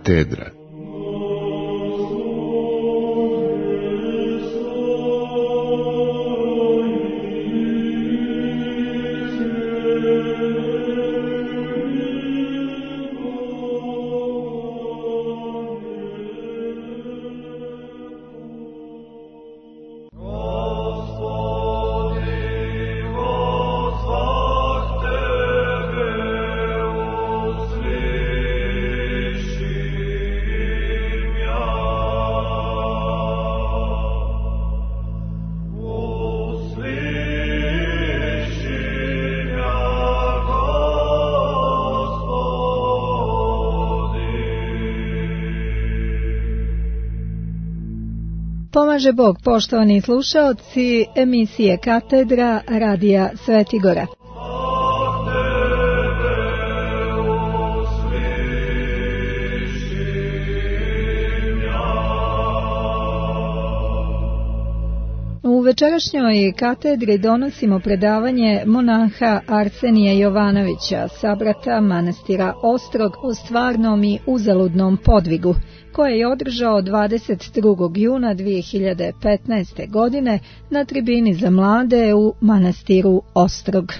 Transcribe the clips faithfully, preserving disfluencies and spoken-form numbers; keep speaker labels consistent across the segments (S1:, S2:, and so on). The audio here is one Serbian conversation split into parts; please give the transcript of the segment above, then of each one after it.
S1: katedra.
S2: Pomaže Bog, poštovani slušaoci emisije Katedra Radija Sveti Gora. U večerašnjoj katedri donosimo predavanje monaha Arsenija Jovanovića, sabrata manastira Ostrog, o stvarnom i uzaludnom podvigu, koje je održao dvadeset drugog juna dvije hiljade petnaeste. godine na tribini za mlade u manastiru Ostrog.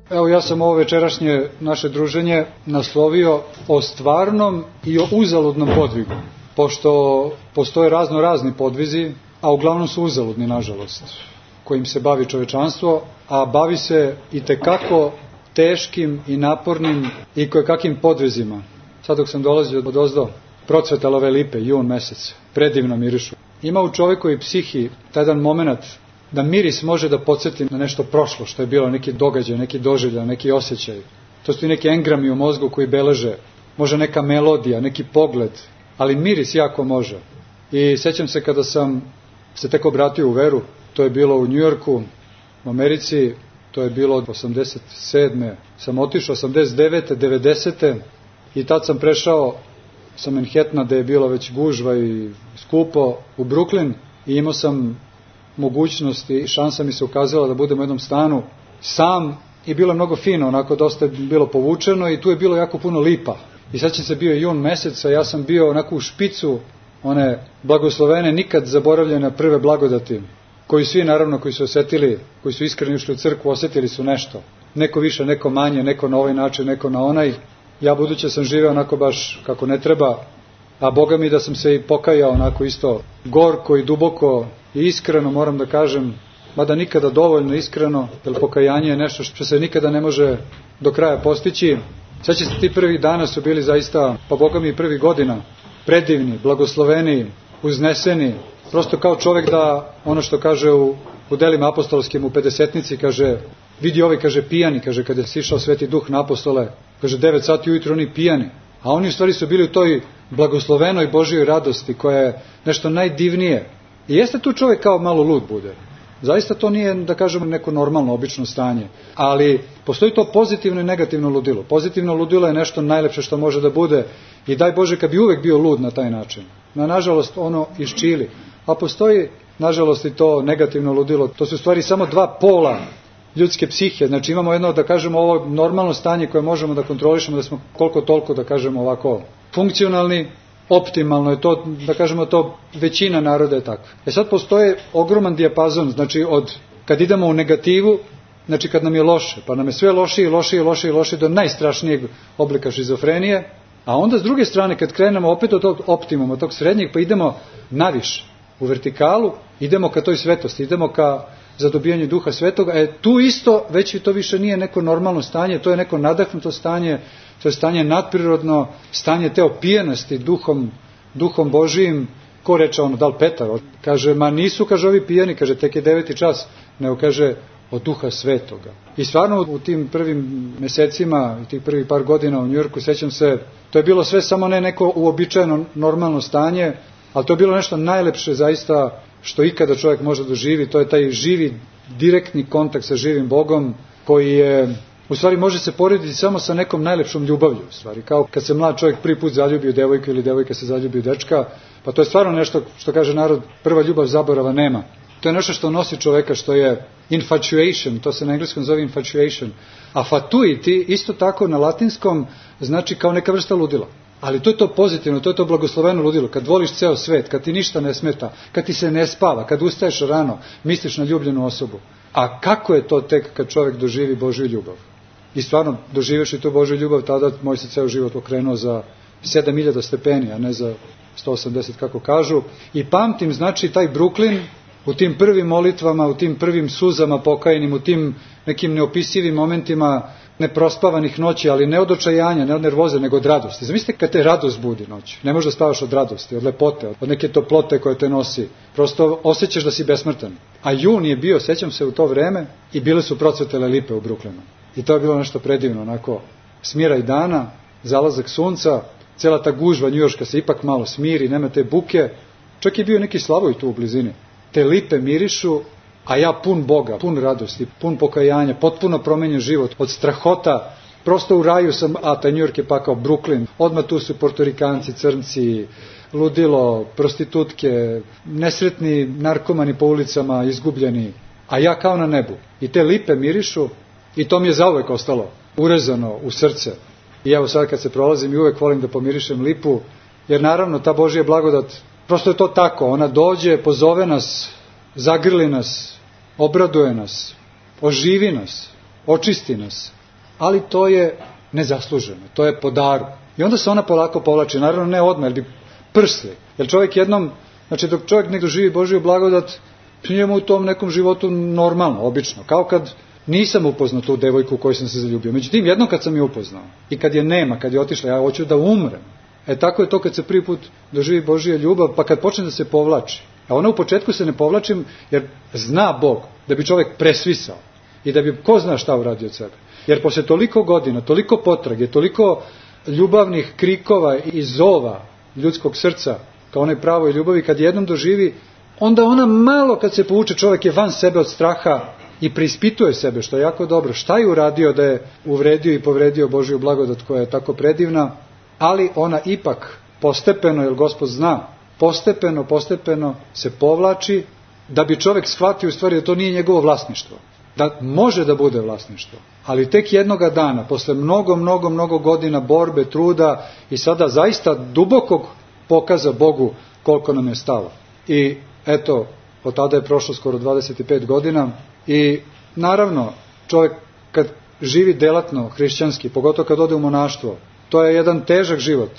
S3: Evo, ja sam ovo večerašnje naše druženje naslovio o stvarnom i o uzaludnom podvigu, pošto postoje razno razni podvizi, a uglavnom su uzaludni, nažalost, kojim se bavi čovečanstvo, a bavi se i tekako teškim i napornim i kojekakim podvizima. Sad dok sam dolazio od ozdo, procvetale lipe, jun mesec, predivno mirišu. Ima u čovekovoj psihi taj jedan moment da miris može da podsjeti na nešto prošlo, što je bilo, neki događaj, neki doživljaj, neki osjećaj. To su i neki engrami u mozgu koji beleže, može neka melodija, neki pogled, ali miris jako može. I sećam se kada sam se tek obratio u veru, to je bilo u Njujorku, u Americi, to je bilo od osamdeset sedme sam otišao, osamdeset devete, devedesete i tad sam prešao sa Manhattana, gde je bilo već gužva i skupo, u Brooklyn i imao sam mogućnost i šansa mi se ukazala da budem u jednom stanu sam i bilo je mnogo fino, onako dosta je bilo povučeno i tu je bilo jako puno lipa. I sad će se bio jun mesec, a ja sam bio onako u špicu one blagoslovene, nikad zaboravljene prve blagodati, koji svi naravno koji su osetili, koji su iskreno išli u crkvu, osetili su nešto. Neko više, neko manje, neko na ovaj način, neko na onaj. Ja budući sam živeo onako baš kako ne treba, a Boga mi da sam se i pokajao onako isto gorko i duboko i iskreno, moram da kažem, mada nikada dovoljno iskreno, jer pokajanje je nešto što se nikada ne može do kraja postići. Sad će se ti prvi dana su bili zaista, pa Boga mi i prvi godina, predivni, blagosloveni, uzneseni, prosto kao čovjek da, ono što kaže u, u delima apostolskim u pedesetnici, kaže, vidi ovi, kaže, pijani, kaže, kada je sišao Sveti Duh na apostole, kaže, devet sati ujutro oni pijani, a oni u stvari su bili u toj blagoslovenoj Božjoj radosti, koja je nešto najdivnije. I jeste tu čovjek kao malo lud bude. Zaista to nije, da kažemo, neko normalno, obično stanje. Ali postoji to pozitivno i negativno ludilo. Pozitivno ludilo je nešto najlepše što može da bude i daj Bože kad bi uvek bio lud na taj način. Na, nažalost, ono iščili. A postoji, nažalost, i to negativno ludilo. To su u stvari samo dva pola ljudske psihe. Znači imamo jedno, da kažemo, ovo normalno stanje koje možemo da kontrolišemo, da smo koliko toliko, da kažemo, ovako funkcionalni, optimalno je to, da kažemo, to većina naroda je takva. E sad postoje ogroman dijapazon, znači od, kad idemo u negativu, znači kad nam je loše, pa nam je sve lošije, lošije, lošije, lošije, do najstrašnijeg oblika šizofrenije, a onda s druge strane, kad krenemo opet od tog optimuma, od tog srednjeg, pa idemo naviše, u vertikalu, idemo ka toj svetosti, idemo ka zadobijanju Duha Svetoga, e tu isto, već to više nije neko normalno stanje, to je neko nadahnuto stanje, to je stanje nadprirodno, stanje te opijenosti duhom, duhom Božijim. Ko reče ono, da li Petar? Kaže, ma nisu, kaže, ovi pijani, kaže, tek je deveti čas, nego kaže, od Duha Svetoga. I stvarno u tim prvim mesecima, i tih prvih par godina u Njujorku, sećam se, to je bilo sve samo ne neko uobičajeno normalno stanje, ali to je bilo nešto najlepše zaista što ikada čovjek može doživi, to je taj živi, direktni kontakt sa živim Bogom, koji je, u stvari može se porediti samo sa nekom najlepšom ljubavlju, u stvari, kao kad se mlad čovjek prvi put zaljubi u devojku ili devojka se zaljubi u dečka, pa to je stvarno nešto što kaže narod, prva ljubav zaborava nema. To je nešto što nosi čoveka, što je infatuation, to se na engleskom zove infatuation. A fatuity, isto tako na latinskom, znači kao neka vrsta ludila. Ali to je to pozitivno, to je to blagosloveno ludilo. Kad voliš ceo svet, kad ti ništa ne smeta, kad ti se ne spava, kad ustaješ rano, misliš na ljubljenu osobu. A kako je to tek kad čovek doživi Božju ljubav? I stvarno, doživeš i tu Božju ljubav, tada moj se ceo život okrenuo za sedam hiljada stepeni, a ne za sto osamdeset kako kažu. I pamtim, znači, taj Brooklyn u tim prvim molitvama, u tim prvim suzama pokajenim, u tim nekim neopisivim momentima neprospavanih noći, ali ne od očajanja, ne od nervoze, nego od radosti. Zamislite kad te radost budi noć. Ne možeš da spavaš od radosti, od lepote, od neke toplote koje te nosi. Prosto osjećaš da si besmrtan. A jun je bio, sećam se u to vreme, i bile su procvetele lipe u Brooklynu. I to je bilo nešto predivno, onako, smiraj dana, zalazak sunca, cela ta gužva njujorška se ipak malo smiri, nema te buke. Čak je bio neki Slavoj tu u blizini. Te lipe mirišu, a ja pun Boga, pun radosti, pun pokajanja, potpuno promenjen život, od strahota, prosto u raju sam, a taj New York je pa kao Brooklyn, odmah tu su Portorikanci, crnci, ludilo, prostitutke, nesretni narkomani po ulicama, izgubljeni, a ja kao na nebu. I te lipe mirišu, i to mi je zauvek ostalo urezano u srce. I evo sad kad se prolazim i uvek volim da pomirišem lipu, jer naravno ta Božja blagodat, prosto je to tako, ona dođe, pozove nas, zagrli nas, obraduje nas, oživi nas, očisti nas, ali to je nezasluženo, to je po daru. I onda se ona polako povlači, naravno ne odmah, jer bi prsli. Jer čovjek jednom, znači dok čovjek ne doživi Božju blagodat, njemu u tom nekom životu normalno, obično, kao kad nisam upoznao tu devojku u kojoj sam se zaljubio. Međutim, jednom kad sam je upoznao i kad je nema, kad je otišla, ja hoću da umrem. E tako je to kad se prvi put doživi Božja ljubav, pa kad počne da se povlači. A ona u početku se ne povlačim jer zna Bog da bi čovjek presvisao i da bi ko zna šta uradio od sebe. Jer posle toliko godina, toliko potrage, toliko ljubavnih krikova i zova ljudskog srca kao onoj pravoj ljubavi, kad jednom doživi, onda ona malo kad se povuče, čovjek je van sebe od straha i preispituje sebe, što je jako dobro. Šta je uradio da je uvredio i povredio Božju blagodat koja je tako predivna, ali ona ipak postepeno, jer Gospod zna, postepeno, postepeno se povlači da bi čovjek shvatio u stvari da to nije njegovo vlasništvo. Da može da bude vlasništvo. Ali tek jednoga dana, posle mnogo, mnogo, mnogo godina borbe, truda i sada zaista dubokog pokaza Bogu koliko nam je stalo. I eto, od tada je prošlo skoro dvadeset pet godina i naravno čovjek kad živi delatno hrišćanski, pogotovo kad ode u monaštvo, to je jedan težak život,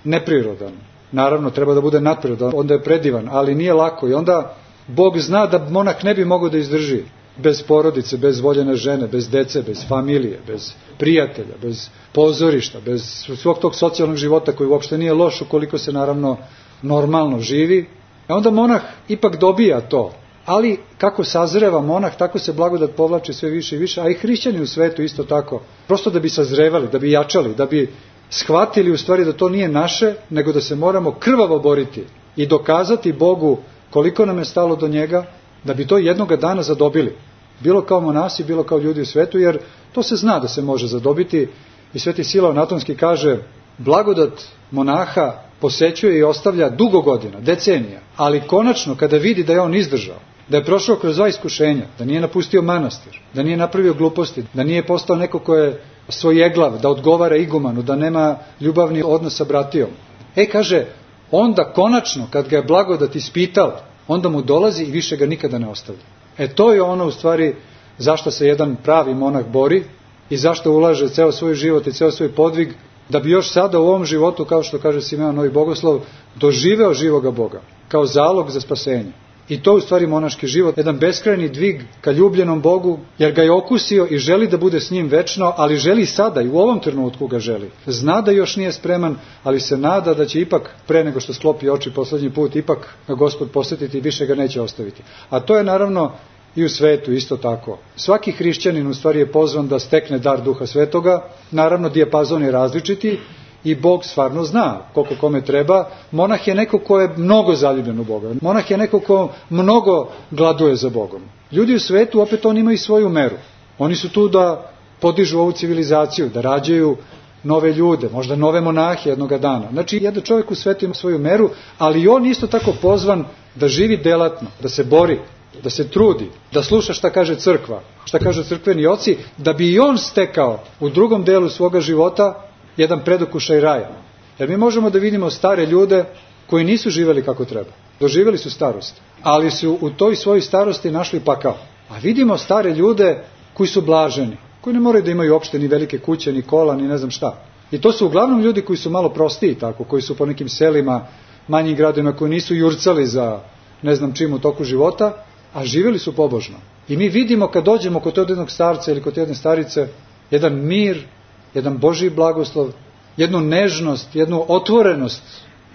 S3: neprirodan. Naravno, treba da bude nadprirodan, onda je predivan, ali nije lako. I onda Bog zna da monah ne bi mogao da izdrži bez porodice, bez voljene žene, bez dece, bez familije, bez prijatelja, bez pozorišta, bez svog tog socijalnog života koji uopšte nije loš ukoliko se naravno normalno živi. A onda monah ipak dobija to. Ali kako sazreva monah, tako se blagodat povlači sve više i više, a i hrišćani u svetu isto tako. Prosto da bi sazrevali, da bi jačali, da bi shvatili u stvari da to nije naše, nego da se moramo krvavo boriti i dokazati Bogu koliko nam je stalo do njega, da bi to jednoga dana zadobili. Bilo kao monasi, bilo kao ljudi u svetu, jer to se zna da se može zadobiti. I Sveti Silav Natonski kaže, blagodat monaha posećuje i ostavlja dugo godina, decenija, ali konačno kada vidi da je on izdržao, da je prošao kroz dva iskušenja, da nije napustio manastir, da nije napravio gluposti, da nije postao neko ko je svojeglav, da odgovara igumanu, da nema ljubavni odnos sa bratijom. E, kaže, onda konačno, kad ga je blagodat ispitao, onda mu dolazi i više ga nikada ne ostavlja. E, to je ono u stvari zašto se jedan pravi monah bori i zašto ulaže ceo svoj život i ceo svoj podvig, da bi još sada u ovom životu, kao što kaže Simeon Novi Bogoslov, doživeo živoga Boga, kao zalog za spasenje. I to je u stvari monaški život, jedan beskrajni dvig ka ljubljenom Bogu, jer ga je okusio i želi da bude s njim večno, ali želi sada i u ovom trenutku ga želi. Zna da još nije spreman, ali se nada da će ipak, pre nego što sklopi oči poslednji put, ipak ga Gospod posjetiti i više ga neće ostaviti. A to je naravno i u svetu isto tako. Svaki hrišćanin u stvari je pozvan da stekne dar Duha Svetoga, naravno dijapazon je različiti, i Bog stvarno zna koliko kome treba. Monah je neko ko je mnogo zaljubljen u Boga. Monah je neko ko mnogo gladuje za Bogom. Ljudi u svetu opet oni imaju svoju meru. Oni su tu da podižu ovu civilizaciju, da rađaju nove ljude, možda nove monahe jednoga dana. Znači, jedan čovjek u svetu ima svoju meru, ali on isto tako pozvan da živi delatno, da se bori, da se trudi, da sluša šta kaže crkva, šta kažu crkveni oci, da bi i on stekao u drugom delu svoga života jedan predokušaj raja. Jer mi možemo da vidimo stare ljude koji nisu živeli kako treba. Doživjeli su starost, ali su u toj svojoj starosti našli pakao. A vidimo stare ljude koji su blaženi, koji ne moraju da imaju uopšte ni velike kuće, ni kola, ni ne znam šta. I to su uglavnom ljudi koji su malo prostiji tako, koji su po nekim selima, manjim gradovima, koji nisu jurcali za ne znam čim u toku života, a živjeli su pobožno. I mi vidimo kad dođemo kod jednog starca ili kod jedne starice, jedan mir, jedan Božji blagoslov, jednu nežnost, jednu otvorenost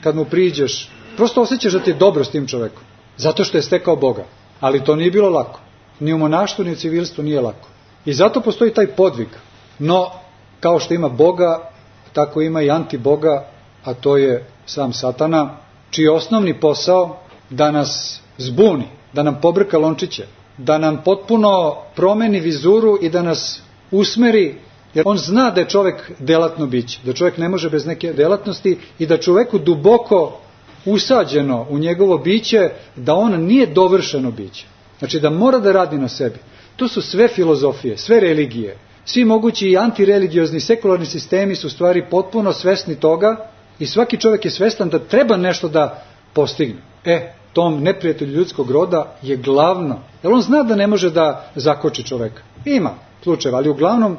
S3: kad mu priđeš. Prosto osjećaš da ti je dobro s tim čovekom, zato što je stekao Boga. Ali to nije bilo lako. Ni u monaštvu, ni u civilstvu nije lako. I zato postoji taj podvig. No, kao što ima Boga, tako ima i antiboga, a to je sam Satana, čiji je osnovni posao da nas zbuni, da nam pobrka lončiće, da nam potpuno promeni vizuru i da nas usmeri, jer on zna da je čovjek delatno biće, da čovjek ne može bez neke delatnosti i da čovjeku duboko usađeno u njegovo biće, da on nije dovršeno biće. Znači da mora da radi na sebi. To su sve filozofije, sve religije, svi mogući i antireligiozni sekularni sistemi su u stvari potpuno svesni toga i svaki čovjek je svestan da treba nešto da postigne. E, tom neprijatelju ljudskog roda je glavno, jer on zna da ne može da zakoči čovjeka. Ima slučajeva, ali uglavnom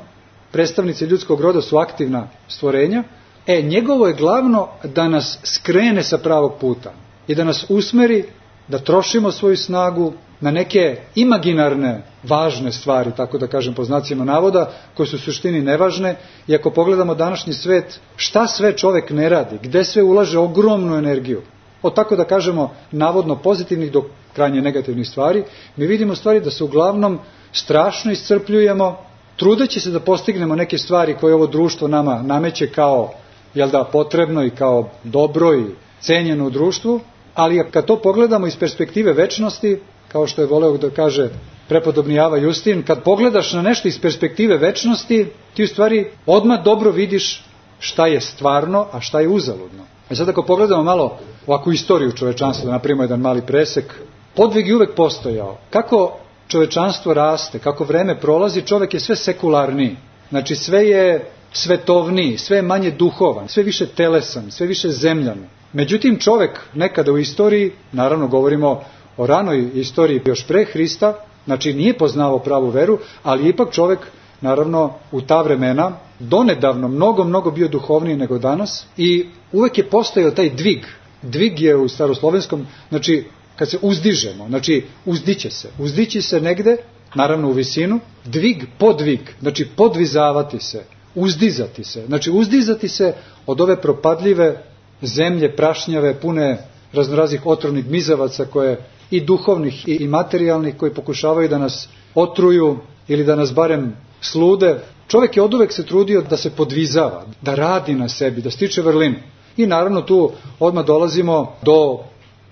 S3: predstavnici ljudskog roda su aktivna stvorenja. E, njegovo je glavno da nas skrene sa pravog puta i da nas usmeri da trošimo svoju snagu na neke imaginarne, važne stvari, tako da kažem po znacima navoda, koje su u suštini nevažne. I ako pogledamo današnji svet, šta sve čovjek ne radi, gde sve ulaže ogromnu energiju, od tako da kažemo navodno pozitivnih do krajnje negativnih stvari, mi vidimo stvari da se uglavnom strašno iscrpljujemo, trudeći se da postignemo neke stvari koje ovo društvo nama nameće kao, jel da, potrebno i kao dobro i cenjeno u društvu, ali kad to pogledamo iz perspektive večnosti, kao što je voleo da kaže prepodobni Ava Justin, kad pogledaš na nešto iz perspektive večnosti, ti u stvari odmah dobro vidiš šta je stvarno, a šta je uzaludno. A sad ako pogledamo malo ovakvu istoriju čovečanstva, da napravimo jedan mali presek, podvig je uvek postojao. Kako čovečanstvo raste, kako vreme prolazi, čovek je sve sekularniji. Znači sve je svetovniji, sve je manje duhovan, sve više telesan, sve više zemljan. Međutim, čovek nekada u istoriji, naravno govorimo o ranoj istoriji još pre Hrista, znači nije poznavao pravu veru, ali ipak čovek, naravno, u ta vremena, donedavno, mnogo, mnogo bio duhovniji nego danas i uvek je postojao taj dvig. Dvig je u staroslovenskom, znači, kad se uzdižemo, znači, uzdiće se. Uzdići se negde, naravno u visinu, dvig, podvig, znači podvizavati se, uzdizati se. Znači, uzdizati se od ove propadljive zemlje, prašnjave, pune raznoraznih otrovnih gmizavaca koje i duhovnih i materijalnih koji pokušavaju da nas otruju ili da nas barem slude. Čovjek je oduvek se trudio da se podvizava, da radi na sebi, da stiče vrlinu. I naravno tu odmah dolazimo do,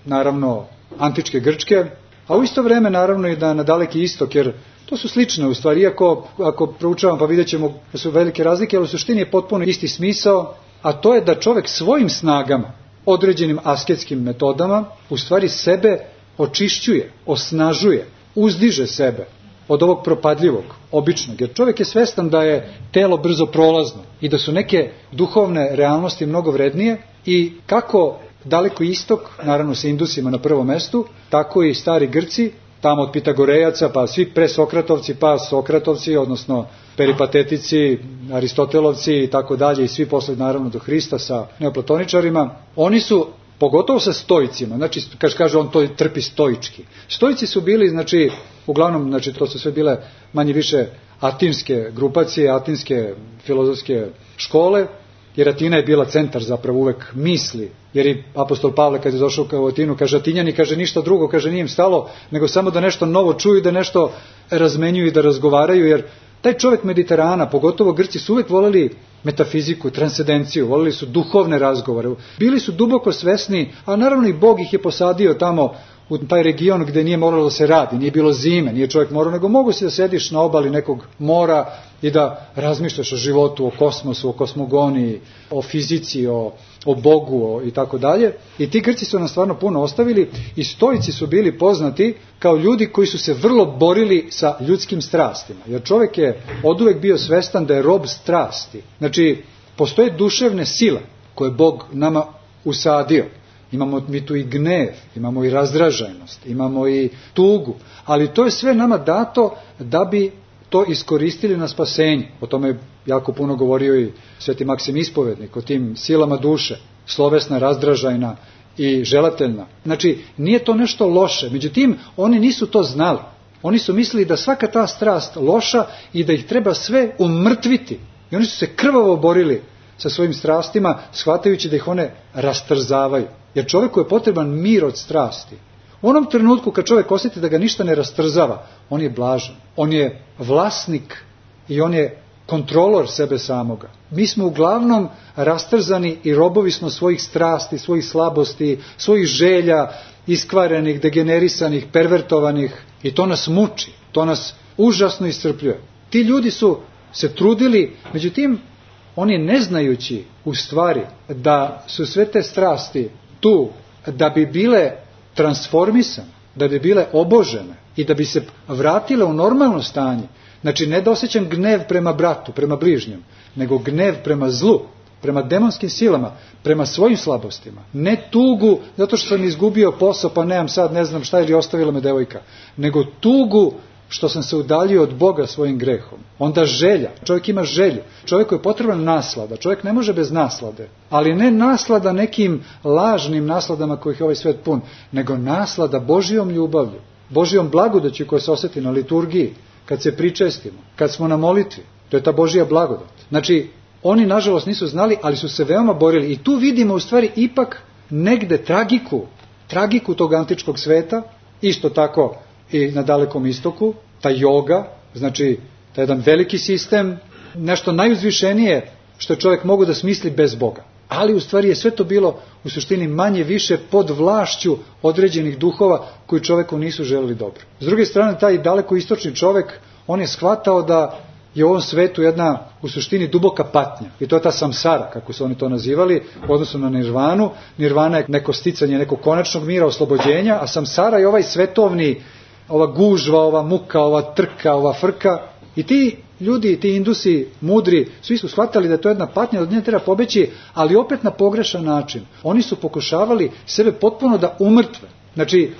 S3: naravno, antičke Grčke, a u isto vreme naravno i da na Daleki istok, jer to su slične u stvari, iako ako proučavam pa vidjet ćemo da su velike razlike, ali u suštini je potpuno isti smisao, a to je da čovjek svojim snagama, određenim asketskim metodama, u stvari sebe očišćuje, osnažuje, uzdiže sebe od ovog propadljivog, običnog. Jer čovjek je svestan da je telo brzo prolazno i da su neke duhovne realnosti mnogo vrednije i kako Daleko istok, naravno sa Indusima na prvom mestu, tako i stari Grci, tamo od Pitagorejaca, pa svi presokratovci, pa Sokratovci, odnosno peripatetici, Aristotelovci i tako dalje, i svi posle naravno do Hrista sa neoplatoničarima, oni su, pogotovo sa stoicima, znači, kaže, kaže on to trpi stoički. Stoici su bili, znači, uglavnom, znači, to su sve bile manje više atinske grupacije, atinske filozofske škole, jer Atina je bila centar zapravo uvek misli, jer i apostol Pavle kad je došao u Atinu, kaže Atinjani, kaže ništa drugo, kaže nije im stalo, nego samo da nešto novo čuju, da nešto razmenjuju i da razgovaraju, jer taj čovjek Mediterana, pogotovo Grci, su uvek voleli metafiziku, transcendenciju, voleli su duhovne razgovore, bili su duboko svesni, a naravno i Bog ih je posadio tamo u taj region gde nije moralo da se radi, nije bilo zime, nije čovjek morao, nego mogu si da sediš na obali nekog mora i da razmišljaš o životu, o kosmosu, o kosmogoniji, o fizici, o, o Bogu o, i tako dalje. I ti Grci su nam stvarno puno ostavili i stoici su bili poznati kao ljudi koji su se vrlo borili sa ljudskim strastima. Jer čovjek je oduvek bio svestan da je rob strasti. Znači, postoje duševne sile koje Bog nama usadio. Imamo mi tu i gnev, imamo i razdraženost, imamo i tugu, ali to je sve nama dato da bi to iskoristili na spasenje. O tome je jako puno govorio i Sveti Maksim Ispovednik, o tim silama duše, slovesna, razdražajna i želateljna. Znači, nije to nešto loše, međutim, oni nisu to znali. Oni su mislili da svaka ta strast loša i da ih treba sve umrtviti. I oni su se krvavo borili sa svojim strastima, shvatajući da ih one rastrzavaju. Jer čovjeku je potreban mir od strasti. U onom trenutku kad čovjek osjeti da ga ništa ne rastrzava, on je blažan, on je vlasnik i on je kontrolor sebe samoga. Mi smo uglavnom rastrzani i robovi smo svojih strasti, svojih slabosti, svojih želja, iskvarenih, degenerisanih, pervertovanih i to nas muči, to nas užasno iscrpljuje. Ti ljudi su se trudili, međutim, oni ne znajući u stvari da su sve te strasti tu da bi bile transformisane, da bi bile obožene i da bi se vratile u normalno stanje. Znači, ne da osjećam gnev prema bratu, prema bližnjem, nego gnev prema zlu, prema demonskim silama, prema svojim slabostima. Ne tugu zato što sam izgubio posao pa nemam sad, ne znam šta, ili ostavila me devojka, nego tugu što sam se udaljio od Boga svojim grehom. Onda želja. Čovjek ima želju. Čovjeku je potrebna naslada. Čovjek ne može bez naslade. Ali ne naslada nekim lažnim nasladama kojih je ovaj svet pun, nego naslada Božijom ljubavlju, Božijom blagodaću koja se osjeti na liturgiji, kad se pričestimo, kad smo na molitvi. To je ta Božija blagodat. Znači, oni nažalost nisu znali, ali su se veoma borili. I tu vidimo u stvari ipak negde tragiku, tragiku tog antičkog sveta, isto tako i na Dalekom istoku, ta joga, znači taj jedan veliki sistem, nešto najuzvišenije što je čovjek mogu da smisli bez Boga. Ali u stvari je sve to bilo u suštini manje više pod vlašću određenih duhova koji čovjeku nisu želeli dobro. S druge strane, taj daleko istočni čovjek, on je shvatao da je u ovom svetu jedna u suštini duboka patnja. I to je ta samsara, kako su oni to nazivali, u odnosu na nirvanu. Nirvana je neko sticanje nekog konačnog mira, oslobođenja, a samsara je ovaj svetovni, ova gužva, ova muka, ova trka, ova frka. I ti ljudi, ti indusi mudri, svi su shvatali da je to jedna patnja, da od nje treba pobeći, ali opet na pogrešan način. Oni su pokušavali sebe potpuno da umrtve. Znači,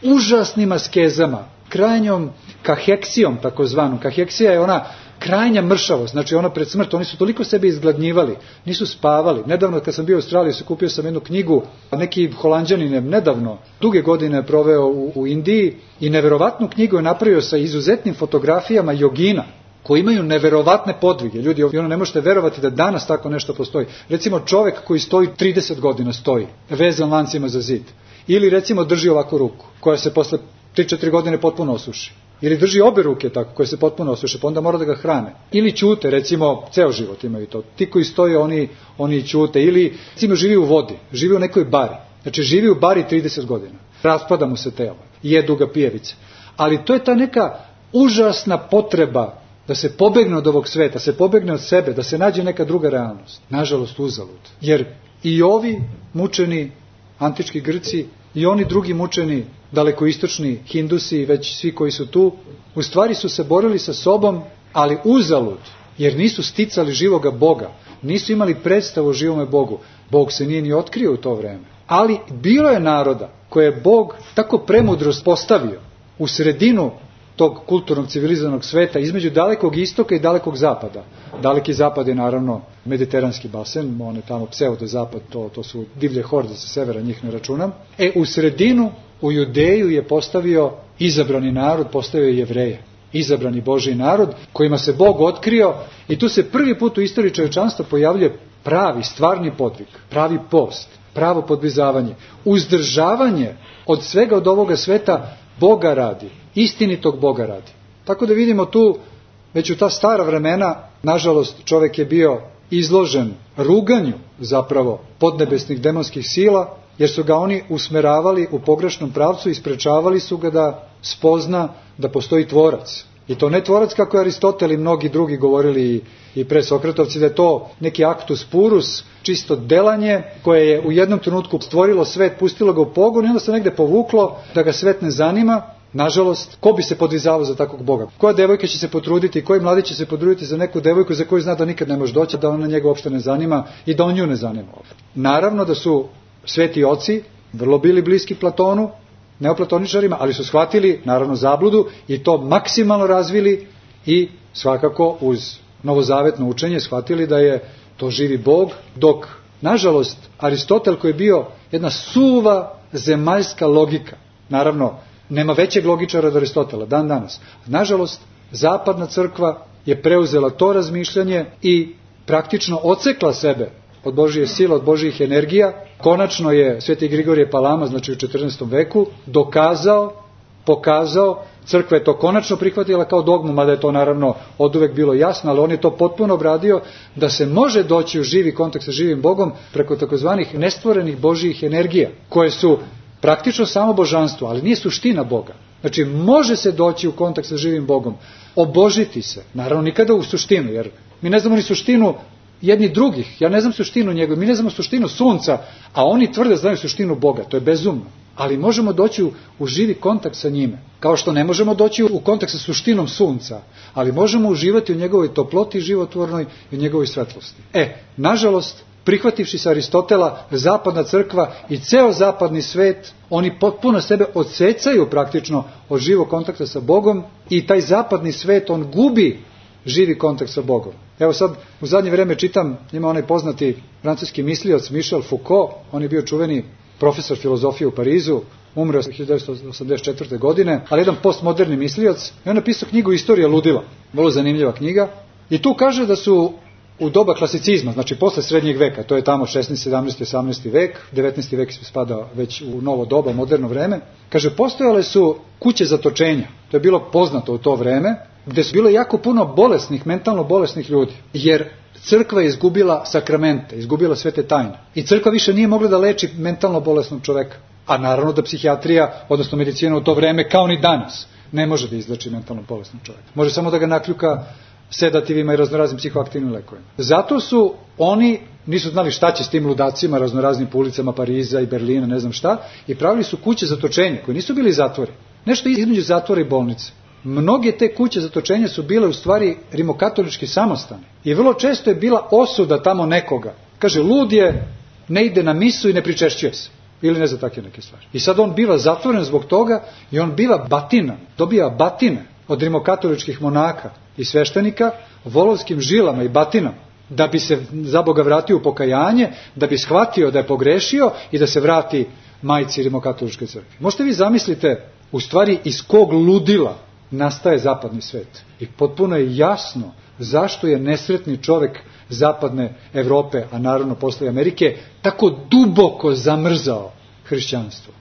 S3: užasnim askezama, krajnjom kaheksijom, takozvanom. Kaheksija je ona krajnja mršavost, znači ona pred smrt, oni su toliko sebe izgladnjivali, nisu spavali. Nedavno kad sam bio u Australiji, se kupio sam jednu knjigu, neki Holanđanin je nedavno, duge godine je proveo u, u Indiji i neverovatnu knjigu je napravio sa izuzetnim fotografijama jogina, koji imaju neverovatne podvige. Ljudi, ono ne možete verovati da danas tako nešto postoji. Recimo čovek koji stoji trideset godina stoji, vezan lancima za zid. Ili recimo drži ovako ruku, koja se posle tri četiri godine potpuno osuši. Ili drži obe ruke tako, koje se potpuno osuše, pa onda mora da ga hrane. Ili ćute, recimo, ceo život imaju to. Ti koji stoje, oni, oni ćute. Ili, recimo, živi u vodi, živi u nekoj bari. Znači, živi u bari trideset godina. Raspada mu se telo, jedu ga pijevice. Ali to je ta neka užasna potreba da se pobegne od ovog sveta, se pobegne od sebe, da se nađe neka druga realnost. Nažalost, uzalud. Jer i ovi mučeni antički Grci, i oni drugi mučeni, dalekoistočni Hindusi i već svi koji su tu, u stvari su se borili sa sobom, ali uzalud, jer nisu sticali živoga Boga, nisu imali predstavu o živome Bogu. Bog se nije ni otkrio u to vreme. Ali bilo je naroda koje je Bog tako premudro postavio u sredinu tog kulturnog civilizovanog sveta, između dalekog istoka i dalekog zapada. Daleki zapad je naravno mediteranski basen, on je tamo pseudo zapad, to, to su divlje horde sa severa, njih ne računam. E, u sredinu, u Judeju je postavio izabrani narod, postavio Jevreje. Izabrani Božji narod, kojima se Bog otkrio, i tu se prvi put u istoriji čovječanstva pojavljuje pravi, stvarni podvig, pravi post, pravo podvizavanje, uzdržavanje od svega od ovoga sveta Boga radi, istinitog Boga radi. Tako da vidimo tu, već u ta stara vremena, nažalost, čovjek je bio izložen ruganju zapravo podnebesnih demonskih sila jer su ga oni usmeravali u pogrešnom pravcu i sprečavali su ga da spozna da postoji tvorac. I to ne tvorac kako je Aristotel i mnogi drugi govorili i pre Sokratovci, da je to neki actus purus, čisto delanje koje je u jednom trenutku stvorilo svet, pustilo ga u pogon i onda se negde povuklo da ga svet ne zanima. Nažalost, ko bi se podvizavao za takvog Boga? Koja devojka će se potruditi, koji mladić će se potruditi za neku devojku za koju zna da nikad ne može doći, da ona njega uopšte ne zanima i da on nju ne zanima? Naravno da su sveti oci vrlo bili bliski Platonu, neoplatoničarima, ali su shvatili, naravno, zabludu i to maksimalno razvili i svakako uz novozavetno učenje shvatili da je to živi Bog, dok, nažalost, Aristotel koji je bio jedna suva zemaljska logika, naravno, nema većeg logičara od Aristotela, dan danas. Nažalost, zapadna crkva je preuzela to razmišljanje i praktično odsekla sebe od Božije sile, od Božijih energija. Konačno je sveti Grigorije Palama, znači u četrnaestom veku, dokazao, pokazao, crkva je to konačno prihvatila kao dogmu, mada je to naravno oduvek bilo jasno, ali on je to potpuno obradio, da se može doći u živi kontakt sa živim Bogom preko takozvanih nestvorenih Božijih energija, koje su praktično samo božanstvo, ali nije suština Boga. Znači, može se doći u kontakt sa živim Bogom, obožiti se, naravno nikada u suštinu, jer mi ne znamo ni suštinu jedni drugih, ja ne znam suštinu njegove, mi ne znamo suštinu sunca, a oni tvrde znaju suštinu Boga, to je bezumno. Ali možemo doći u, u živi kontakt sa njime, kao što ne možemo doći u kontakt sa suštinom sunca, ali možemo uživati u njegovoj toploti životvornoj i u njegovoj svetlosti. E, nažalost, prihvativši se Aristotela, zapadna crkva i ceo zapadni svet, oni potpuno sebe odsecaju praktično od živog kontakta sa Bogom i taj zapadni svet, on gubi živi kontakt sa Bogom. Evo sad, u zadnje vreme čitam, ima onaj poznati francuski mislioc Michel Foucault, on je bio čuveni profesor filozofije u Parizu, umreo hiljadu devetsto osamdeset četvrte. godine, ali jedan postmoderni mislioc, i on napisao knjigu Istorija ludila, vrlo zanimljiva knjiga, i tu kaže da su u doba klasicizma, znači posle srednjeg veka, to je tamo šesnaesti, sedamnaesti, osamnaesti vek, devetnaesti vek spada već u novo doba, moderno vreme, kaže, postojale su kuće zatočenja, to je bilo poznato u to vreme, gde su bilo jako puno bolesnih, mentalno bolesnih ljudi, jer crkva je izgubila sakramente, izgubila sve te tajne. I crkva više nije mogla da leči mentalno bolesnog čoveka. A naravno da psihijatrija, odnosno medicina u to vreme, kao ni danas, ne može da izleči mentalno bolesnog čoveka. Može samo da ga nakljuka sedativima i raznoraznim psihoaktivnim lekovima. Zato su oni, nisu znali šta će s tim ludacima, raznoraznim po ulicama Pariza i Berlina, ne znam šta, i pravili su kuće zatočenja, koje nisu bili zatvori. Nešto između zatvora i bolnice. Mnoge te kuće zatočenja su bile u stvari rimokatolički samostani. I vrlo često je bila osuda tamo nekoga. Kaže, lud je, ne ide na misu i ne pričešćuje se. Ili ne za takve neke stvari. I sad on biva zatvoren zbog toga i on biva batinan, dobija batine od rimokatoličkih monaka i sveštenika volovskim žilama i batinama, da bi se za Boga vratio u pokajanje, da bi shvatio da je pogrešio i da se vrati majci rimokatoličke crkve. Možete vi zamislite u stvari iz kog ludila nastaje zapadni svet. I potpuno je jasno zašto je nesretni čovek zapadne Evrope, a naravno posle Amerike, tako duboko zamrzao hrišćanstvo.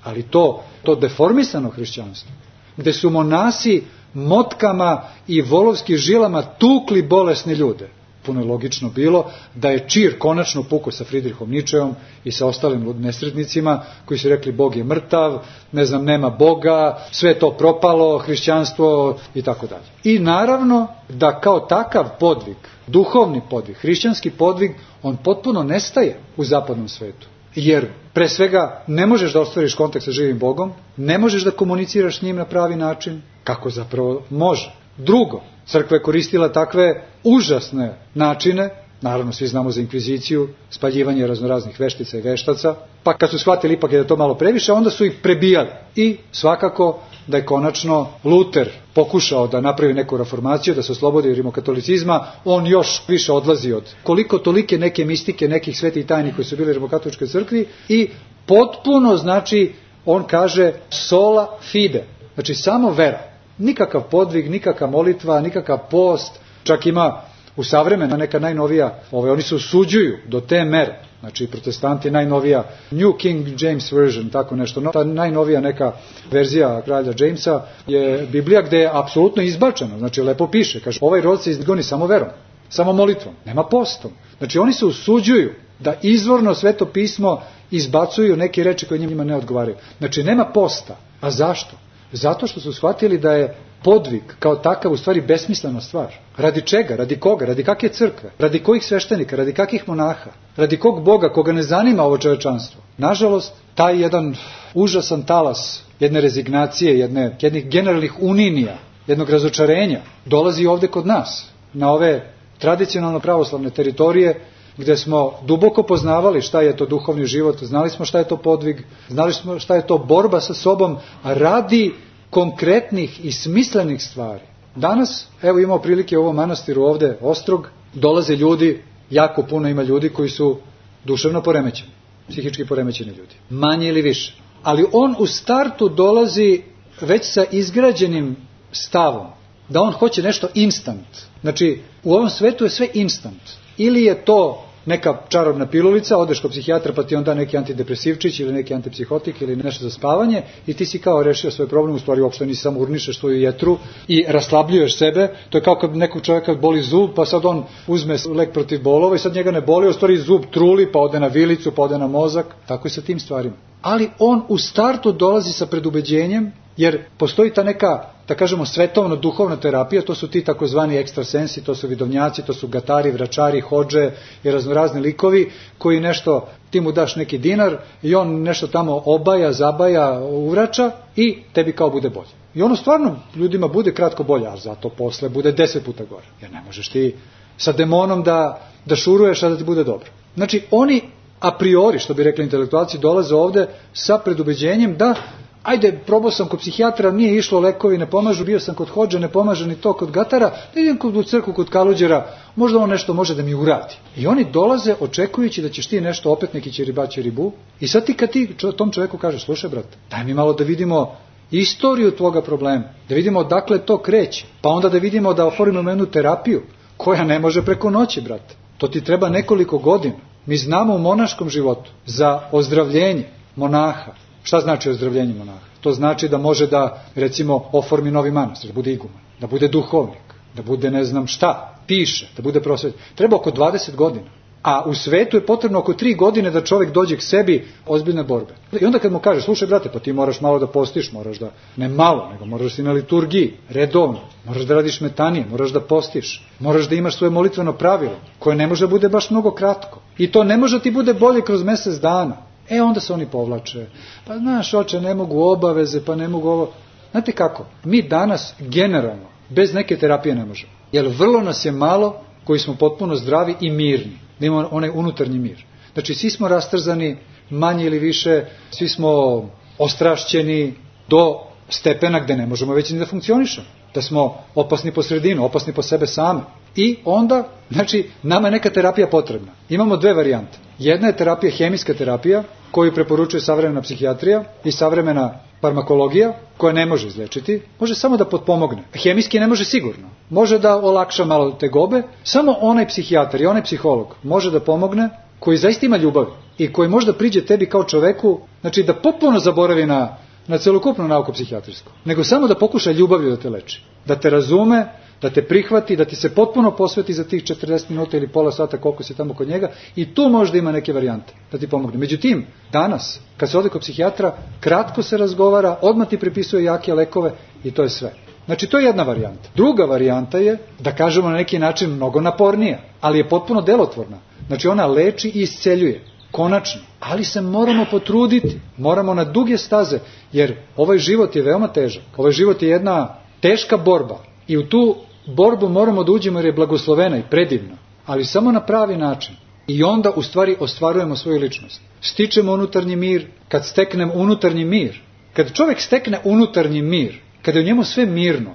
S3: Ali to, to deformisano hrišćanstvo, gde su monasi motkama i volovskim žilama tukli bolesne ljude. Puno je logično bilo da je čir konačno pukao sa Fridrihom Ničeom i sa ostalim nesretnicima koji su rekli Bog je mrtav, ne znam, nema Boga, sve to propalo, hrišćanstvo i tako dalje. I naravno da kao takav podvig, duhovni podvig, hrišćanski podvig, on potpuno nestaje u zapadnom svetu. Jer pre svega ne možeš da ostvariš kontakt sa živim Bogom, ne možeš da komuniciraš s njim na pravi način, kako zapravo može. Drugo, crkva je koristila takve užasne načine, naravno svi znamo za inkviziciju, spaljivanje raznoraznih veštica i veštaca, pa kad su shvatili ipak je da to malo previše, onda su ih prebijali. I svakako da je konačno Luter pokušao da napravi neku reformaciju, da se oslobodi rimokatolicizma, on još više odlazi od koliko tolike neke mistike, nekih svetih tajni koji su bili u rimokatoličkoj crkvi i potpuno, znači, on kaže sola fide, znači samo vera. Nikakav podvig, nikakva molitva, nikakav post, čak ima u savremena neka najnovija, ove, oni se usuđuju do te mere, znači protestanti najnovija, New King James Version, tako nešto, no, ta najnovija neka verzija kralja Jamesa je Biblija gde je apsolutno izbačena, znači lepo piše, kaže ovaj rod se izgoni samo verom, samo molitvom, nema postom. Znači oni se usuđuju da izvorno sveto pismo izbacuju neke reči koje njima ne odgovaraju. Znači nema posta. A zašto? Zato što su shvatili da je podvig kao takav u stvari besmislena stvar. Radi čega? Radi koga? Radi kakve crkve? Radi kojih sveštenika? Radi kakvih monaha? Radi kog Boga koga ne zanima ovo čovečanstvo? Nažalost, taj jedan užasan talas jedne rezignacije, jedne, jednih generalnih uninija, jednog razočarenja dolazi ovde kod nas, na ove tradicionalno pravoslavne teritorije, gde smo duboko poznavali šta je to duhovni život, znali smo šta je to podvig, znali smo šta je to borba sa sobom, radi konkretnih i smislenih stvari. Danas, evo imamo prilike u ovom manastiru ovde, Ostrog, dolaze ljudi, jako puno ima ljudi koji su duševno poremećeni, psihički poremećeni ljudi, manje ili više. Ali on u startu dolazi već sa izgrađenim stavom, da on hoće nešto instant. Znači, u ovom svetu je sve instant. Ili je to neka čarobna pilulica, odeš kod psihijatra pa ti on da neki antidepresivčić ili neki antipsihotik ili nešto za spavanje i ti si kao rešio svoj problem, u stvari uopšte nisi, samo urnišeš svoju jetru i raslabljuješ sebe. To je kao kad nekog čovjeka boli zub, pa sad on uzme lek protiv bolova i sad njega ne boli, u stvari zub truli, pa ode na vilicu, pa ode na mozak. Tako je sa tim stvarima. Ali on u startu dolazi sa predubeđenjem, jer postoji ta neka, da kažemo, svetovno duhovna terapija, to su ti takozvani ekstrasensi, to su vidovnjaci, to su gatari, vračari, hodže i raznorazni likovi koji nešto, ti mu daš neki dinar i on nešto tamo obaja, zabaja, uvrača i tebi kao bude bolje. I ono stvarno ljudima bude kratko bolje, a zato posle bude deset puta gore. Jer ne možeš ti sa demonom da, da šuruješ, a da ti bude dobro. Znači oni a priori, što bi rekli intelektualci, dolaze ovde sa predubeđenjem da ajde, probao sam kod psihijatra, nije išlo, lekovi ne pomažu, bio sam kod hodže, ne pomaže ni to kod gatara, da idem kod u crkvu, kod kaluđera, možda on nešto može da mi uradi. I oni dolaze očekujući da ćeš ti nešto, opet neki ćeribaće ribu, i sad ti kad ti tom čoveku kažeš, slušaj brate, daj mi malo da vidimo istoriju tvoga problema, da vidimo odakle to kreće, pa onda da vidimo da oformimo jednu terapiju, koja ne može preko noći, brate. To ti treba nekoliko godina. Mi znamo u monaškom životu za ozdravljenje monaha. Šta znači ozdravljenje monaha? To znači da može da, recimo, oformi novi manastir, da bude iguman, da bude duhovnik, da bude ne znam šta, piše, da bude prosvetnik. Treba oko dvadeset godina. A u svetu je potrebno oko tri godine da čovjek dođe k sebi ozbiljne borbe. I onda kad mu kaže, slušaj brate, pa ti moraš malo da postiš, moraš da, ne malo, nego moraš da si na liturgiji, redovno, moraš da radiš metanije, moraš da postiš, moraš da imaš svoje molitveno pravilo, koje ne može da bude baš mnogo kratko. I to ne može ti bude bolje kroz mjesec dana. E onda se oni povlače. Pa znaš, oče, ne mogu obaveze, pa ne mogu ovo. Znate kako? Mi danas generalno bez neke terapije ne možemo. Jer vrlo nas je malo koji smo potpuno zdravi i mirni. Da imamo onaj unutarnji mir. Znači svi smo rastrzani, manje ili više, svi smo ostrašćeni do stepena gde ne možemo već ni da funkcionišemo. Da smo opasni po sredinu, opasni po sebe same. I onda, znači, nama je neka terapija potrebna. Imamo dve varijante. Jedna je terapija, hemijska terapija, koju preporučuje savremena psihijatrija i savremena farmakologija, koja ne može izlečiti, može samo da potpomogne. Hemijski ne može sigurno. Može da olakša malo tegobe, samo onaj psihijatar i onaj psiholog može da pomogne, koji zaista ima ljubav i koji može da priđe tebi kao čoveku, znači da potpuno zaboravi na, na celokupnu nauku psihijatrijsku, nego samo da pokuša ljubavlju da te leči, da te razume, da te prihvati, da ti se potpuno posveti za tih četrdeset minuta ili pola sata koliko si tamo kod njega i tu možda ima neke varijante da ti pomogne. Međutim, danas, kad se ode kod psihijatra, kratko se razgovara, odmah ti prepisuje jake lekove i to je sve. Znači, to je jedna varijanta. Druga varijanta je, da kažemo na neki način, mnogo napornija, ali je potpuno delotvorna. Znači, ona leči i isceljuje. Konačno. Ali se moramo potruditi. Moramo na duge staze, jer ovaj život je veoma težak. Ovaj život je jedna teška borba. I u tu borbu moramo da uđemo jer je blagoslovena i predivna. Ali samo na pravi način. I onda u stvari ostvarujemo svoju ličnost. Stičemo unutarnji mir. Kad steknem unutarnji mir, kad čovjek stekne unutarnji mir, kada je u njemu sve mirno,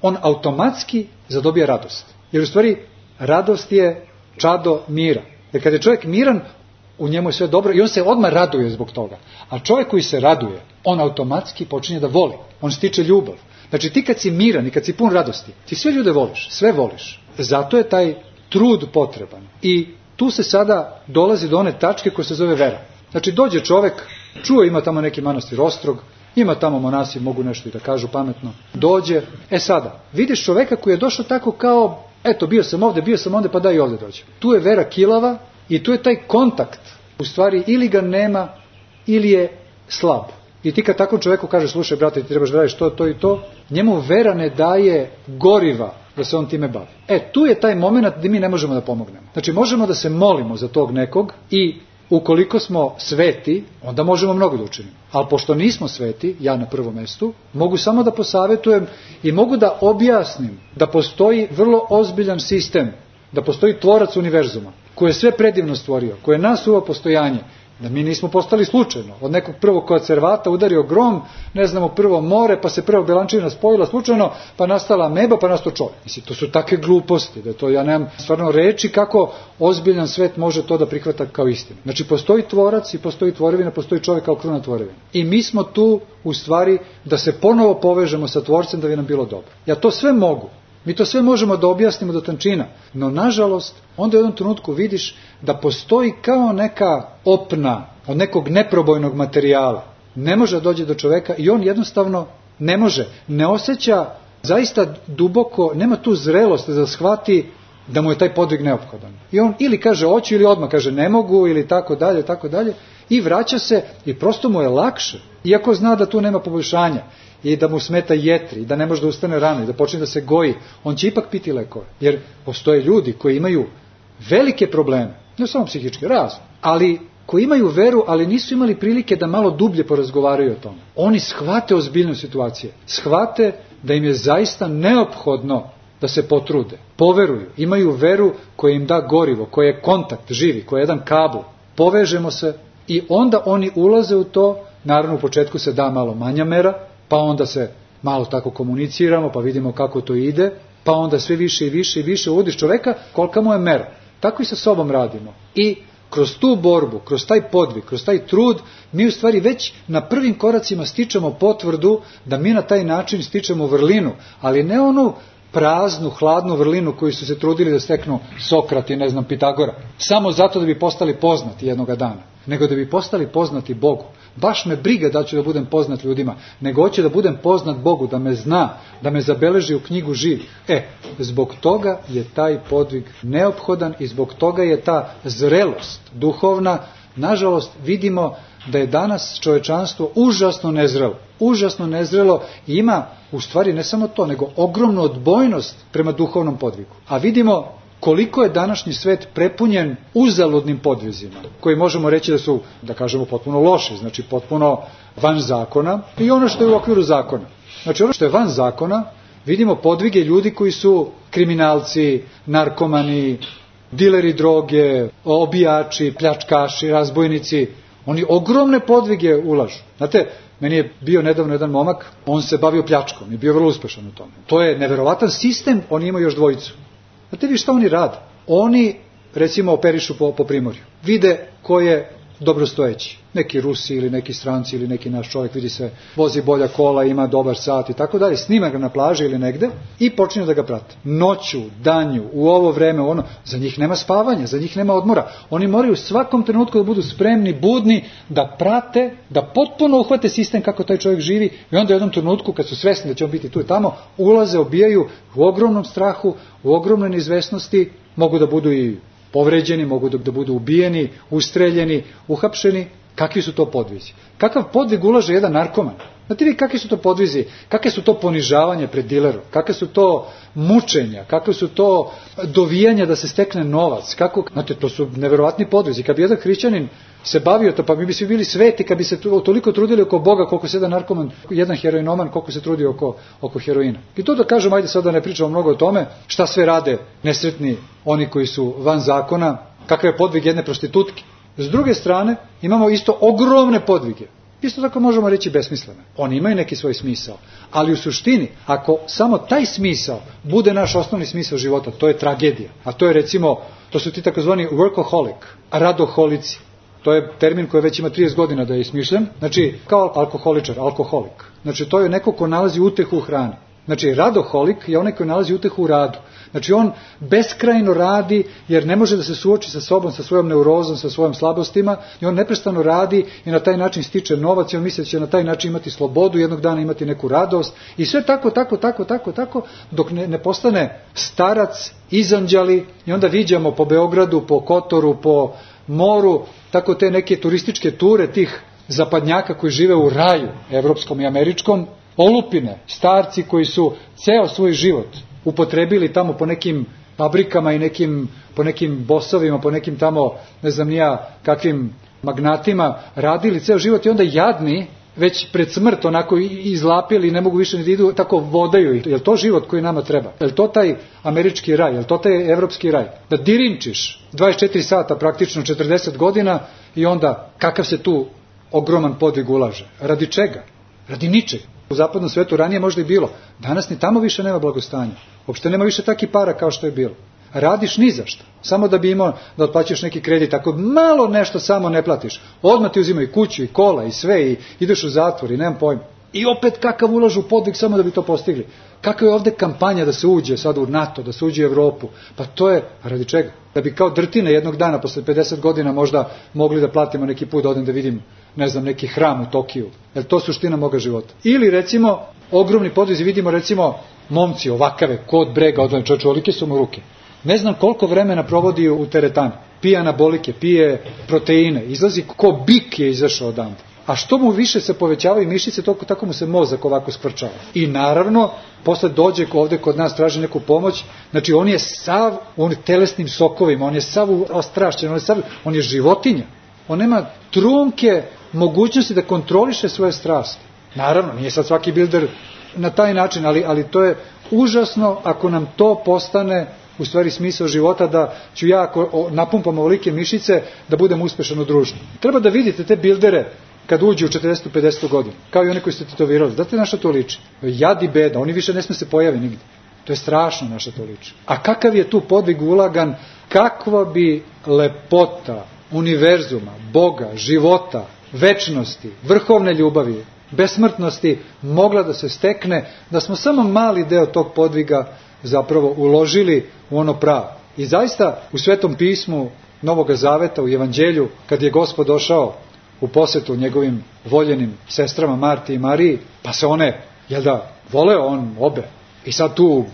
S3: on automatski zadobija radost. Jer u stvari radost je čado mira. Jer kada je čovjek miran, u njemu je sve dobro i on se odmah raduje zbog toga. A čovjek koji se raduje, on automatski počinje da voli. On stiče ljubav. Znači ti kad si miran i kad si pun radosti, ti sve ljude voliš, sve voliš. Zato je taj trud potreban. I tu se sada dolazi do one tačke koja se zove vera. Znači dođe čovjek, čuo ima tamo neki manastir Ostrog, ima tamo monasi, mogu nešto i da kažu pametno, dođe, e sada, vidiš čovjeka koji je došao tako kao, eto bio sam ovde, bio sam ovde, pa daj i ovde dođe. Tu je vera kilava i tu je taj kontakt u stvari ili ga nema ili je slab. I ti kad takvom čovjeku kaže, slušaj brate, ti trebaš da radiš to, to i to, njemu vera ne daje goriva da se on time bavi. E, tu je taj moment gdje mi ne možemo da pomognemo. Znači, možemo da se molimo za tog nekog i ukoliko smo sveti, onda možemo mnogo da učinimo. Ali pošto nismo sveti, ja na prvom mjestu, mogu samo da posavjetujem i mogu da objasnim da postoji vrlo ozbiljan sistem, da postoji tvorac univerzuma, koji je sve predivno stvorio, koji je nas uveo postojanje, da mi nismo postali slučajno. Od nekog prvog koncervata udario grom, ne znamo, prvo more, pa se prvo belančina spojila slučajno, pa nastala meba, pa nastao čovjek. Mislim, to su takve gluposti, da to ja nemam stvarno reči kako ozbiljan svet može to da prihvata kao istinu. Znači, postoji tvorac i postoji tvorevina, postoji čovjek kao kruna tvorevina. I mi smo tu, u stvari, da se ponovo povežemo sa tvorcem da bi nam bilo dobro. Ja to sve mogu. Mi to sve možemo da objasnimo do tančina, no nažalost, onda u jednom trenutku vidiš da postoji kao neka opna od nekog neprobojnog materijala. Ne može da dođe do čoveka i on jednostavno ne može, ne osjeća zaista duboko, nema tu zrelost da shvati da mu je taj podvig neophodan. I on ili kaže hoću ili odmah kaže ne mogu ili tako dalje, tako dalje i vraća se i prosto mu je lakše, iako zna da tu nema poboljšanja. I da mu smeta jetri, i da ne može da ustane rano, i da počne da se goji, on će ipak piti lekove. Jer postoje ljudi koji imaju velike probleme, ne samo psihičke, razne, ali koji imaju veru, ali nisu imali prilike da malo dublje porazgovaraju o tome. Oni shvate ozbiljnost situacije, shvate da im je zaista neophodno da se potrude, poveruju, imaju veru koja im da gorivo, koja je kontakt živi, koja je jedan kabel. Povežemo se i onda oni ulaze u to, naravno u početku se da malo manja mera, pa onda se malo tako komuniciramo, pa vidimo kako to ide, pa onda sve više i više i više uvodiš čoveka kolika mu je mera. Tako i sa sobom radimo. I kroz tu borbu, kroz taj podvig, kroz taj trud, mi u stvari već na prvim koracima stičemo potvrdu da mi na taj način stičemo vrlinu, ali ne onu praznu, hladnu vrlinu koju su se trudili da steknu Sokrat i ne znam Pitagora, samo zato da bi postali poznati jednoga dana, nego da bi postali poznati Bogu. Baš me briga da ću da budem poznat ljudima, nego hoće da budem poznat Bogu, da me zna, da me zabeleži u knjigu živih. E, zbog toga je taj podvig neophodan i zbog toga je ta zrelost duhovna. Nažalost, vidimo da je danas čovečanstvo užasno nezrelo. Užasno nezrelo i ima, u stvari, ne samo to, nego ogromnu odbojnost prema duhovnom podvigu. A vidimo koliko je današnji svet prepunjen uzaludnim podvizima, koji možemo reći da su, da kažemo, potpuno loši, znači potpuno van zakona i ono što je u okviru zakona. Znači ono što je van zakona, vidimo podvige ljudi koji su kriminalci, narkomani, dileri droge, obijači, pljačkaši, razbojnici. Oni ogromne podvige ulažu. Znate, meni je bio nedavno jedan momak, on se bavio pljačkom i bio vrlo uspešan u tome. To je neverovatan sistem, oni imaju još dvojicu. Znate vi šta oni rade? Oni, recimo, operišu po, po primorju. Vide ko je dobrostojeći. Neki Rusi ili neki stranci ili neki naš čovjek, vidi se, vozi bolja kola, ima dobar sat i tako dalje. Snima ga na plaži ili negde i počinju da ga prate. Noću, danju, u ovo vreme, ono, za njih nema spavanja, za njih nema odmora. Oni moraju u svakom trenutku da budu spremni, budni, da prate, da potpuno uhvate sistem kako taj čovjek živi i onda u jednom trenutku, kad su svesni da će on biti tu i tamo, ulaze, obijaju u ogromnom strahu, u ogromnoj neizvesnosti, mogu da budu i povređeni, mogu da budu ubijeni, ustreljeni, uhapšeni. Kakvi su to podvizi? Kakav podvig ulaže jedan narkoman? Znate vi kakvi su to podvizi? Kakve su to ponižavanje pred dilerom? Kakve su to mučenja? Kakve su to dovijanja da se stekne novac? Kako? Znate, to su neverovatni podvizi. Kad bi jedan hrišćanin se bavio to, pa mi bi svi bili sveti kad bi se toliko trudili oko Boga koliko se jedan narkoman, jedan heroinoman, koliko se trudi oko, oko heroina. I to da kažem, ajde sad da ne pričamo mnogo o tome, šta sve rade nesretni oni koji su van zakona, kakav je podvig jedne prostitutke. S druge strane, imamo isto ogromne podvige. Isto tako možemo reći besmislene. Oni imaju neki svoj smisao. Ali u suštini, ako samo taj smisao bude naš osnovni smisao života, to je tragedija. A to je recimo, to su ti takozvani workaholic, radoholici. To je termin koji već ima trideset godina da je ismišljen. Znači, kao alkoholičar, alkoholik. Znači, to je neko ko nalazi utehu u hrani. Znači, radoholik je onaj koji nalazi utehu u radu. Znači, on beskrajno radi jer ne može da se suoči sa sobom, sa svojom neurozom, sa svojom slabostima i on neprestano radi i na taj način stiče novac i on misli da će na taj način imati slobodu, jednog dana imati neku radost i sve tako, tako, tako, tako, tako, dok ne, ne postane starac, izanđali i onda viđamo po Beogradu, po Kotoru, po moru, tako te neke turističke ture tih zapadnjaka koji žive u raju, evropskom i američkom, olupine, starci koji su ceo svoj život upotrebili tamo po nekim fabrikama i nekim, po nekim bosovima, po nekim tamo, ne znam nija, kakvim magnatima, radili ceo život i onda jadni, već pred smrt onako izlapili, ne mogu više ni da idu, tako vodaju ih. Je li to život koji nama treba? Je li to taj američki raj? Je li to taj evropski raj? Da dirinčiš dvadeset četiri sata, praktično četrdeset godina i onda kakav se tu ogroman podvig ulaže? Radi čega? Radi ničeg. U zapadnom svetu ranije možda i bilo. Danas ni tamo više nema blagostanja. Uopšte nema više takih para kao što je bilo. Radiš ni za šta. Samo da bi imao da otplaćaš neki kredit. Ako malo nešto samo ne platiš, odmah ti uzimaju kuću i kola i sve i ideš u zatvor i nemam pojma. I opet kakav ulažu u podvig samo da bi to postigli. Kakva je ovde kampanja da se uđe sad u NATO, da se uđe u Evropu? Pa to je radi čega? Da bi kao drtine jednog dana posle pedeset godina možda mogli da platimo neki put da odem da vidim, ne znam, neki hram u Tokiju. Jer to suština moga života. Ili recimo ogromni podvizi, vidimo recimo momci ovakave, kod brega odvojene, čovječe, olike su mu ruke. Ne znam koliko vremena provodi u teretani. Pije anabolike, pije proteine, izlazi ko bik je izašao odande. A što mu više se povećavaju mišiće, toliko tako mu se mozak ovako skvrčava. I naravno, posle dođe ovde kod nas, traži neku pomoć, znači on je sav, on je telesnim sokovima, on je sav ostrašćen, on je sav, on je životinja. On nema trunke mogućnosti da kontroliše svoje strasti. Naravno, nije sad svaki bilder na taj način, ali, ali to je užasno ako nam to postane u stvari smisao života, da ću ja ako napumpam ovolike mišice da budem uspešan u društvu. Treba da vidite te bildere kad uđu u četrdeset pedeset godina, kao i oni koji ste tetovirali. Znate na što to liči? Jad i beda, oni više ne sme se pojavi nigde. To je strašno na što to liči. A kakav je tu podvig ulagan, kakva bi lepota univerzuma, Boga, života, večnosti, vrhovne ljubavi, besmrtnosti mogla da se stekne, da smo samo mali deo tog podviga zapravo uložili u ono pravo. I zaista u Svetom pismu Novoga Zaveta, u Evanđelju, kad je Gospod došao u posetu njegovim voljenim sestrama Marti i Mariji, pa se one, jel da, voleo on obe. I sad tu,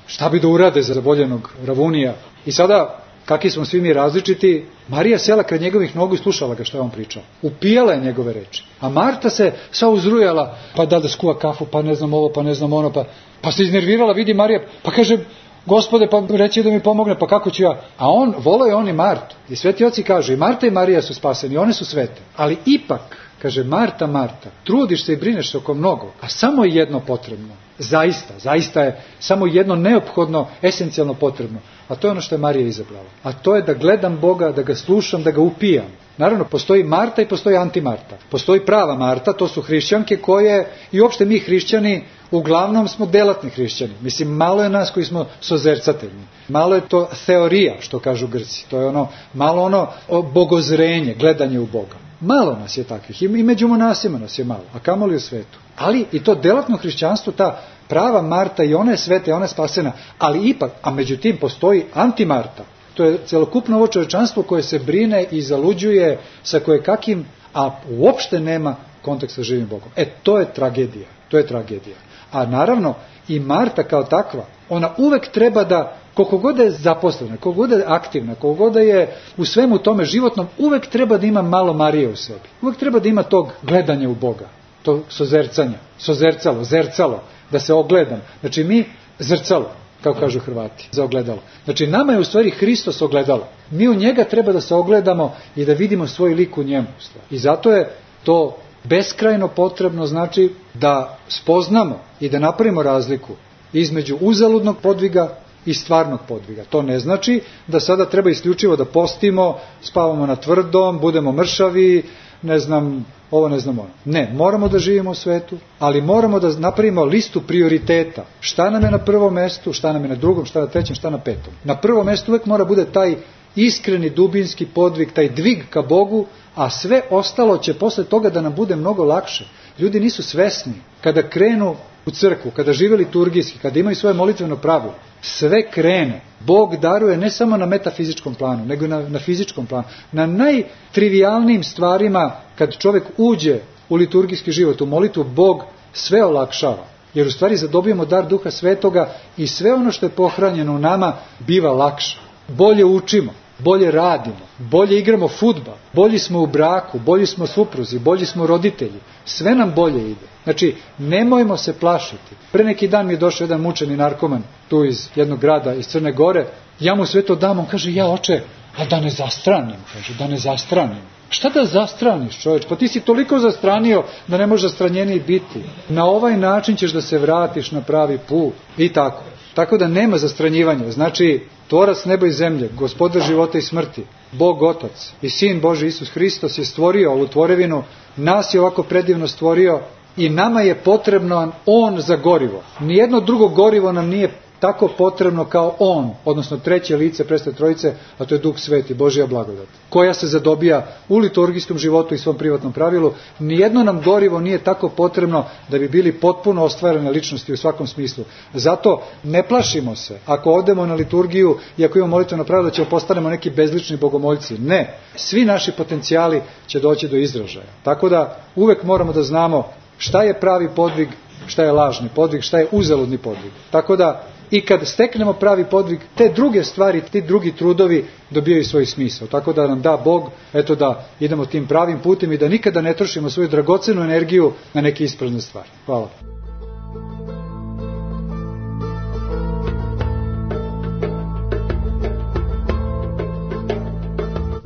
S3: šta bi da urade za voljenog Ravunija? I sada, kakvi smo svi mi različiti, Marija sela kraj njegovih nogu i slušala ga što je on pričao. Upijala je njegove reči. A Marta se sva uzrujala, pa da da skuva kafu, pa ne znam ovo, pa ne znam ono, pa, pa se iznervirala, vidi Marija, pa kaže, Gospode, pa reći da mi pomogne, pa kako ću ja? A on, volao je on i Martu. I Sveti oci kažu, i Marta i Marija su spaseni, one su svete. Ali ipak, kaže, Marta, Marta, trudiš se i brineš se oko mnogo, a samo je jedno potrebno. Zaista, zaista je samo jedno neophodno, esencijalno potrebno. A to je ono što je Marija izabrala. A to je da gledam Boga, da ga slušam, da ga upijam. Naravno, postoji Marta i postoji antimarta. Postoji prava Marta, to su hrišćanke koje, i uopšte mi hrišćani, uglavnom smo delatni hrišćani. Mislim, malo je nas koji smo sozercateljni. Malo je to teorija, što kažu Grci. To je ono, malo ono bogozrenje, gledanje u Boga. Malo nas je takvih. I među monasima nas je malo, a kamoli u svetu. Ali i to delatno hrišćanstvo, ta prava Marta, i ona je sveta, i ona je spasena. Ali ipak, a među tim postoji antimarta. To je celokupno ovo čovečanstvo koje se brine i zaluđuje sa kojekakim, a uopšte nema kontakt sa živim Bogom. E, to je tragedija. To je tragedija. A naravno, i Marta kao takva, ona uvek treba da, koliko god je zaposlena, koliko god je aktivna, koliko god je u svemu tome životnom, uvek treba da ima malo Marije u sebi. Uvek treba da ima tog gledanja u Boga, tog sozercanja, sozercalo, zercalo, da se ogledam. Znači mi zrcalo, kako kažu Hrvati, za ogledalo. Znači nama je u stvari Hristos ogledalo. Mi u njega treba da se ogledamo i da vidimo svoj lik u njemu. I zato je to beskrajno potrebno, znači da spoznamo i da napravimo razliku između uzaludnog podviga i stvarnog podviga. To ne znači da sada treba isključivo da postimo, spavamo na tvrdom, budemo mršavi, ne znam, ovo ne znam ono. Ne, moramo da živimo u svetu, ali moramo da napravimo listu prioriteta. Šta nam je na prvom mestu, šta nam je na drugom, šta na trećem, šta na petom. Na prvom mestu uvek mora bude taj iskreni, dubinski podvig, taj dvig ka Bogu, a sve ostalo će posle toga da nam bude mnogo lakše. Ljudi nisu svesni kada krenu u crkvu, kada žive liturgijski, kada imaju svoje molitveno pravilo, sve krene. Bog daruje ne samo na metafizičkom planu, nego i na, na fizičkom planu. Na najtrivijalnijim stvarima, kad čovjek uđe u liturgijski život, u molitvu, Bog sve olakšava. Jer u stvari zadobijemo dar Duha Svetoga i sve ono što je pohranjeno u nama biva lakše. Bolje učimo, bolje radimo, bolje igramo fudbal, bolji smo u braku, bolji smo supruzi, bolji smo roditelji. Sve nam bolje ide. Znači, nemojmo se plašiti. Pre neki dan mi je došao jedan mučeni narkoman tu iz jednog grada, iz Crne Gore. Ja mu sve to dam, on kaže, ja oče, a da ne zastranim, kaže, da ne zastranim. Šta da zastraniš, čovječ? Pa ti si toliko zastranio da ne može zastranjeniji biti. Na ovaj način ćeš da se vratiš na pravi put. I tako. Tako da nema zastranjivanja. Znači, tvorac neba i zemlje, gospodar života i smrti, Bog Otac i Sin Boži Isus Hristos je stvorio ovu tvorevinu, nas je ovako predivno stvorio i nama je potrebno On za gorivo. Nijedno drugo gorivo nam nije tako potrebno kao On, odnosno treće lice Presvete Trojice, a to je Duh Sveti, Božja blagodat, koja se zadobija u liturgijskom životu i svom privatnom pravilu. Nijedno nam gorivo nije tako potrebno da bi bili potpuno ostvarene ličnosti u svakom smislu. Zato ne plašimo se, ako odemo na liturgiju i ako imamo molitveno pravilo, da ćemo postanemo neki bezlični bogomoljci. Ne, svi naši potencijali će doći do izražaja. Tako da uvek moramo da znamo šta je pravi podvig, šta je lažni podvig, šta je uzaludni podvig. Tako da i kad steknemo pravi podvig, te druge stvari, ti drugi trudovi dobijaju svoj smisao. Tako da nam da Bog, eto da idemo tim pravim putem i da nikada ne trošimo svoju dragocenu energiju na neke isprazne stvari. Hvala.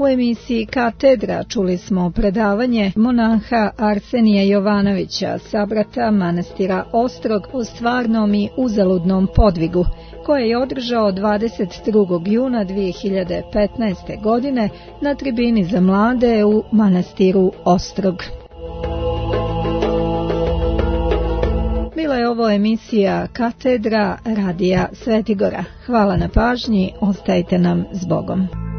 S2: U emisiji Katedra čuli smo predavanje monaha Arsenija Jovanovića, sabrata manastira Ostrog, o stvarnom i uzaludnom podvigu, koje je održao dvadeset drugog juna dvije hiljade petnaeste. godine na tribini za mlade u manastiru Ostrog. Bila je ovo emisija Katedra radija Svetigora. Hvala na pažnji, ostajte nam s Bogom.